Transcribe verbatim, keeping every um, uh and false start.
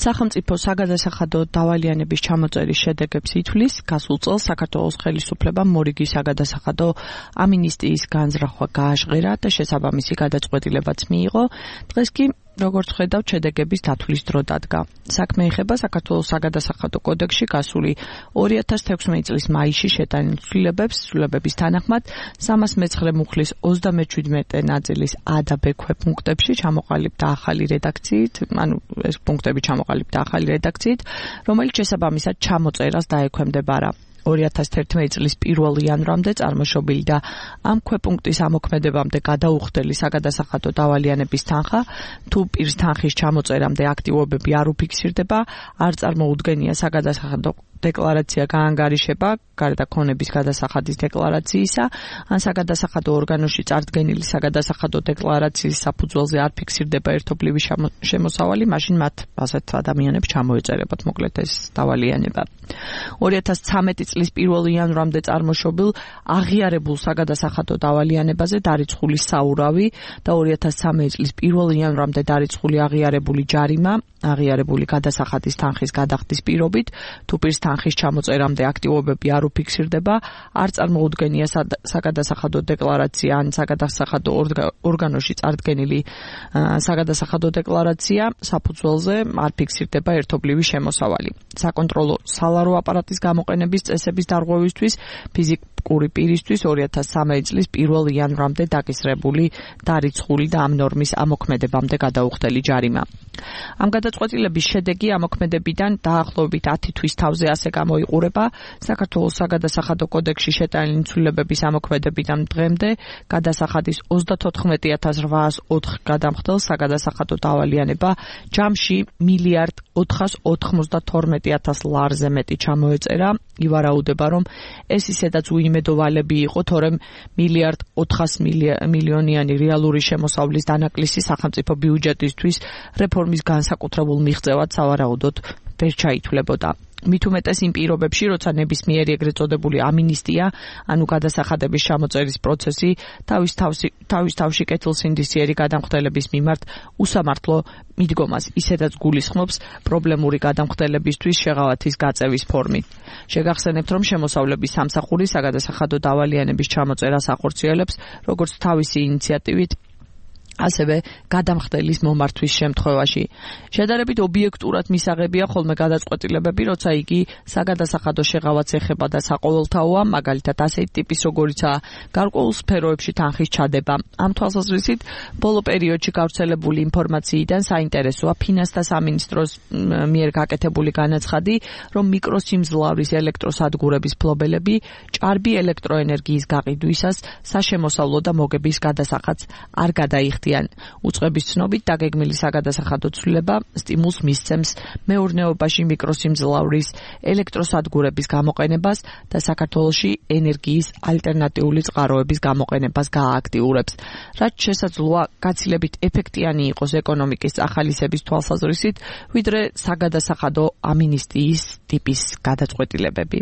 სახელმწიფო საგადასახადო დავალიანების ჩამოწერის შედეგებს ითვლის გასულ წელს საქართველოს ხელისუფლებამ მორიგი საგადასახადო ამინისტიის განზრახვა გააჟღერა და შესაბამისი გადაწყვეტილებაც მიიღო. დღეს კი როგორც ხედავთ, შედეგების დათვლის დრო დადგა. საქმე ეხება საქართველოს საგადასახადო კოდექსში გასული ორი ათას თექვსმეტი წლის მაისში შეტანილ ცვლილებებს, ცვლილებების თანახმად სამას მეცხრე მუხლის ოცდამეჩვიდმეტე ნაწილის A და B ქვეპუნქტებში ჩამოყალიბდა ახალი რედაქციით, ანუ ეს პუნქტები ჩამოყალიბდა ახალი რედაქციით, რომელიც შესაბამისად ჩამოწერას დაექვემდებარა. ორი ათას თერთმეტი წლის პირველი იანვრამდე წარმოშობილი და ამ ქვეპუნქტის ამოქმედებამდე გადაუხდელი საგადასახადო დავალიანების თანხა, თუ პირს თანხის ჩამოწერამდე აქტივობები არ უფიქსირდება, არ წარმოუდგენია საგადასახადო დეკლარაცია გაანგარიშება გარდა ქონების გადასახადის დეკლარაციისა, ან საგადასახადო ორგანოში წარდგენილი საგადასახადო დეკლარაციის საფუძველზე არ ფიქსირდება ერთობლივი შემოსავალი, მაშინ მათ ასეთ ადამიანებს ჩამოეწერებათ მოკლედ ეს დავალიანება. ორი ათას ცხრამეტი წლის პირველი იანვრამდე წარმოშობილ აღიარებულ საგადასახადო დავალიანებაზე დარიცხული საურავი და ორი ათას ცხრამეტი წლის პირველი იანვრამდე დარიცხული აღიარებული ჯარიმა, აღიარებული გადასახადის თანხის გადახდის პირობით, თუ პირს თანხის ჩამოწერამდე აქტივობები არ უფიქსირდება, არ წარმოუდგენია საგადასახადო დეკლარაცია ან საგადასახადო ორგანოში წარდგენილი საგადასახადო დეკლარაცია, საფუძველზე არ ფიქსირდება ერთობლივი შემოსავალი. საკონტროლო სალარო აპარატის გამოყენების წესების დარღვევისთვის ფიზიკური პირისთვის ორი ათას ცხრამეტი წლის პირველი იანვრამდე დაკისრებული დარიცხული და ამ ნორმის ამოქმედებამდე გადაუხდელი ჯარიმა. ამ გადაწყვეტილების შედეგი ამოქმედებიდან დაახლოებით ათი თვის თავზე ასე გამოიყურება. საქართველოს საგადასახადო კოდექსში შეტანილი ცვლილებების ამოქმედებიდან დღემდე გადასახადის ოცდათოთხმეტი ათას რვაას ოთხ გადამხდელ საგადასახადო დავალიანება ჯამში მილიარდ ოთხას ოთხმოცდათორმეტი ათას ლარზე მეტი ჩამოეწერა. ივარაუდება, რომ ეს ისედაც უიმედოვალები იყო, თორემ მილიარდ ოთხას მილიონიანი რეალური შემოსავლის დანაკლისი სახელმწიფო ბიუჯეტისთვის რეფორმის განსაკუთრებულ მიღწევად სავარაუდოდ ვერ ჩაითვლებოდა. მით უმეტეს იმ პირობებში, როცა ნებისმიერი ეგრეთ წოდებული ამინისტია, ანუ გადასახადების ჩამოწერის პროცესი თავის თავში თავის თავში კეთილსინდისიერი გადამხდელების მიმართ უსამართლო მიდგომას ისედაც გულისხმობს პრობლემური გადამხდელებისთვის შეღავათის გაწევის ფორმით. შეგახსენებთ, რომ შემოსავლების სამსახური საგადასახადო დავალიანების ჩამოწერას ახორციელებს როგორც თავისი ინიციატივით, ასევე გადამხდელის მომართვის შემთხვევაში. შედარებით ობიექტურად მისაღებია ხოლმე გადაწყვეტილებები, როცა იგი საგადასახადო შეღავათს ეხება და საყოველთაოა, მაგალითად ასეთი ტიპის როგორიცაა გარკვეულ სფეროებში თანხის ჩადება. ამ თვალსაზრისით, ბოლო პერიოდში გავრცელებული ინფორმაციიდან საინტერესოა ფინანსთა სამინისტროს მიერ გაკეთებული განაცხადი, რომ მიკროსიმძლავრის ელექტროსადგურების ფლობელები ჭარბი ელექტროენერგიის გაყიდვისას საშემოსავლო და მოგების გადასახადს არ გადაიხდიან. უწყების ცნობით დაგეგმილი საგადასახადო ცვლილება სტიმულს მისცემს მეურნეობაში მიკროსიმძლავრის ელექტროსადგურების გამოყენებას და საქართველოში ენერგიის ალტერნატიული წყაროების გამოყენებას გაააქტიურებს. რაც შესაძლოა გაცილებით ეფექტიანი იყოს ეკონომიკის წახალისების თვალსაზრისით, ვიდრე საგადასახადო ამინისტიის ტიპის გადაწყვეტილებები.